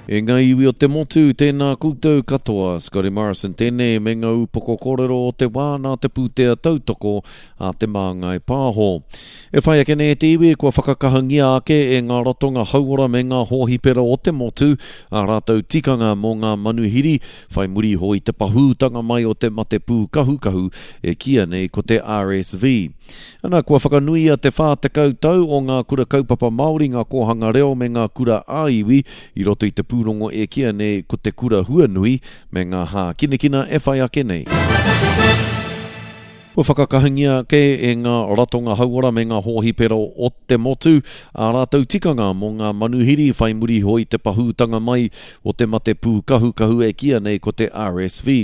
E ngā iwi o te motu, tēnā koutou katoa. Scotty Morrison tēnei me ngā upoko kōrero o te wā nā te pūtea tautoko a Te Māngai Pāho. E whai ake nei e te iwi kua whakakahangia ake e ngā ratonga hauora me ngā hōhipera o te motu ā rātou tikanga mō ngā manuhiri whai muri iho i te pahūtanga mai o te mate pūkahukahu e kīia nei ko te RSV. Ana, kua whakanuia te 40 tau o ngā kura kaupapa Māori, ngā kōhanga reo me ngā kura ā-iwi i roto i te pūrongo e kīia nei ko Te Kura Huanui me ngā hākinakina e whai ake nei. Kua whakakahangia ake e ngā ratonga hauora me ngā hōhipera o te motu ā rātou tikanga mō ngā manuhiri whai muri iho i te pahūtanga mai o te mate pūkahukahu e kīia nei ko te RSV.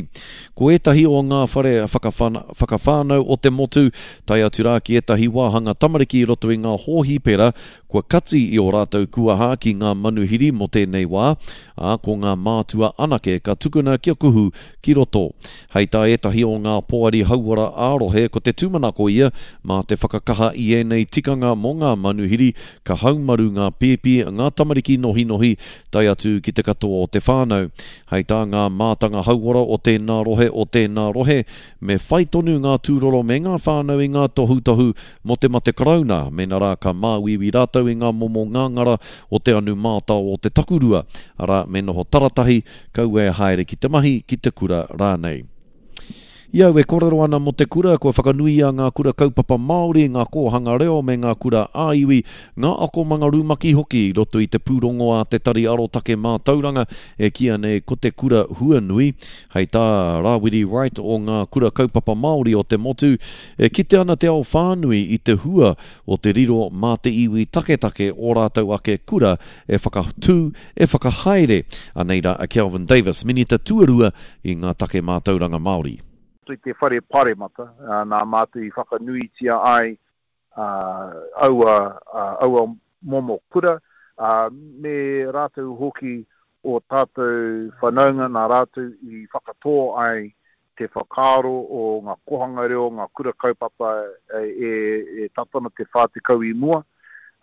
Ko ētahi o ngā whare whakawhānau o te motu, tae atu rā ki ētahi wāhanga tamariki i roto i ngā hōhipera kua kati i ō rātou kuaha ki ngā manuhiri mō tēnei wā, ā, ko ngā mātua anake ka tukuna kia kuhu ki roto. Hei tā ētahi o ngā poari hauora ā-rohe ko te tūmanako ia mā te whakakaha i ēnei tikanga mō ngā manuhiri ka haumaru ngā pēpi, ngā tamariki nohinohi tae atu ki te katoa o te whānau. Hei tā ngā mātanga hauora o tēnā rohe o tēnā rohe me whai tonu ngā tūroro me ngā whānau i ngā tohutohu mō te mate karauna mēnā rā ka māuiui rātou i ngā momo ngāngara o te anu mātao o te takurua, arā, me noho taratahi, kaua e haere ki te mahi, ki te kura rānei. I au e kōrero ana mō te kura, kua whakanuia ngā kura kaupapa Māori, ngā kōhanga reo me ngā kura ā-iwi, ngā akomanga rumaki hoki i roto i te pūrongo a Te Tari Arotake Mātauranga e kīia nei ko Te Kura Huanui. Hei tā Rāwiri Wright o ngā kura kaupapa Māori o te motu, e kite ana te ao whānui i te hua o te riro mā te iwi taketake ō rātou ake kura e whakatū, e whakahaere. Anei rā a Kelvin Davis, Minita Tuarua i ngā take mātauranga Māori. I te Whare Paremata, nā mātou i whakanuitia ai aua, aua momo kura, me rātou hoki ō tātou whanaunga nā rātou i whakatō ai te whakaaro o ngā kohanga reo, ngā kura kaupapa e tata ana te 40 i mua,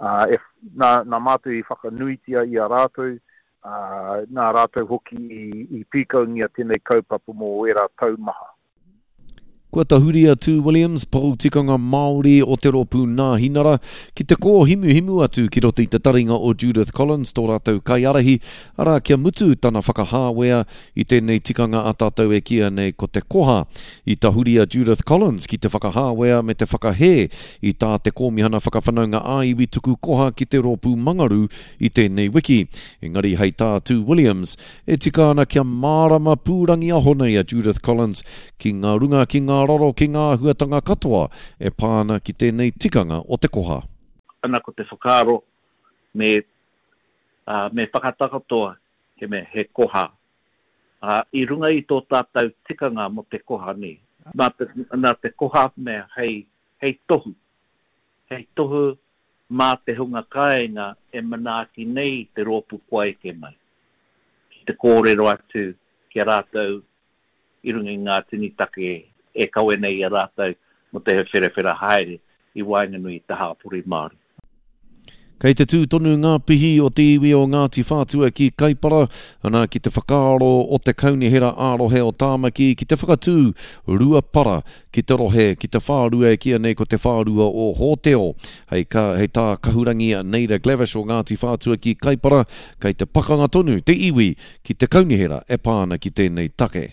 ā, nā, nā mātou i whakanuitia i a rātou, ā, nā rātou hoki i pīkaungia tēnei kaupapa mō ērā tau maha. Kua tahuri a Tū Williams, pou tikanga Māori o te rōpū Nāhinara, ki te kōhimuhimu atu ki roto i te taringa o Judith Collins, tō rātou kaiārahi, arā, kia mutu tana whakahāwea I tēnei tikanga a tātou e kīia nei ko te koha. I tahuri a Judith Collins ki te whakahāwea me te whakahē i tā te Kōmihana Whakawhanaunga ā-Iwi tuku koha ki te rōpū Mangaru i tēnei wiki. Engari hei tā Tū Williams, e tika ana kia mārama pūrangiaho nei a Judith Collins ki ngā runga, ki ngā raro, ki ngā āhuatanga katoa e pā ana ki tēnei tikanga o te koha. Ana ko te whakaaro me, ā, me whakatakoto he mea, he koha, ā, i runga i tō tātou tikanga mō te koha nē. Nā te, nā te koha mea hei, hei tohu, hei tohu mā te hunga kāinga e manaaki nei i te rōpū kua eke mai, ki te kōrero atu ki a rātou i runga i ngā tini take e kawe nei i a rātou mō te wherawhera haere i waenganui i te hāpori Māori. Kei te tū tonu ngā pihi o te iwi o Ngāti Whātua ki Kaipara, ana ki te whakaaro o te Kaunihera ā-Rohe o Tāmaki ki te whakatū rua para ki te rohe ki te whārua e kīia nei ko te whārua o Hōteo. Hei, ka, hei tā Kahurangi Naida Glavish o Ngāti Whātua ki Kaipara, kei te pakanga tonu te iwi ki te kaunihera e pā ana ki tēnei take.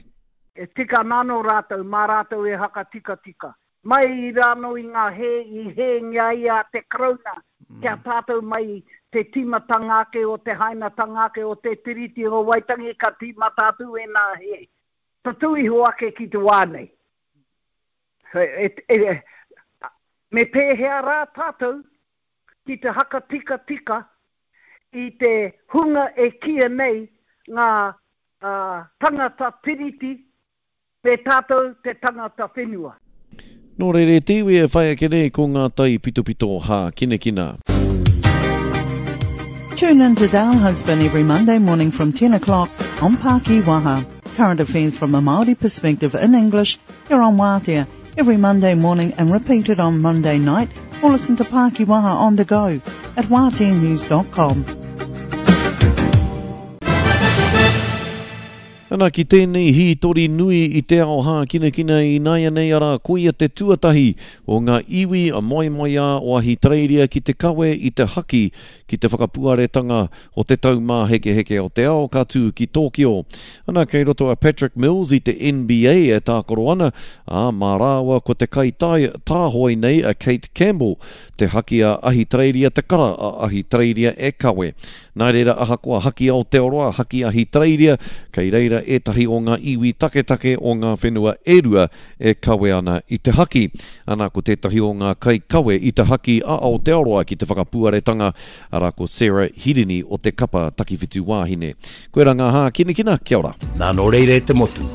E tika ana anō rātou, mā rātou e hakatikatika. Mai i rānō i ngā hē i hēngia ai a te Karauna ki a tātou mai te tīmatanga ake o te hainatanga ake o te Tiriti o Waitangi ka tīmata atu ēnā hē. Tatū iho ake ki te wā nei. Me pēhea rā tātou ki te hakatikatika i te hunga e kīia nei ngā tangata tiriti me tātou te tangata whenua. Nō reira e te iwi e whai ake nei ko ngā tai pitopito hākinakina. Tune in to Dale Husband every Monday morning from 10 o'clock on Paki Waha. Current affairs from a Māori perspective in English here on Wātea every Monday morning and repeated on Monday night or listen to Paki Waha on the go at wāteanews.com. Ana, ki tēnei hītori nui i te ao hākinakina ināianei arā koia te tuatahi o ngā iwi moemoeā o Ahitereiria ki te kawe i te haki ki te whakapuaretanga o te Taumāhekeheke o te Ao ka tū ki Tōkio. Ana, kei roto a Patrick Mills i te NBA e tākaro ana, ā, mā rāua ko te kaitai tāhoi nei a Kate Campbell te haki a Ahitereiria te kara a Ahitereiria e kawe. Nā reira, ahakoa haki Aotearoa, haki Ahitereiria, kei reira ētahi o ngā iwi taketake o ngā whenua e rua e kawe ana i te haki. Ana, ko tētahi o ngā kaikawe i te haki a Aotearoa ki te whakapuaretanga, arā ko Sarah Hirini o te kapa takiwhitu wāhine. Koirā ngā hākinakina, kia ora. Nā nō reira e te motu,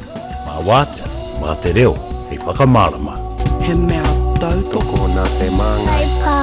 mā Wātea, mā te reo hei whakamārama. He mea tautoko. Tokona te māngai.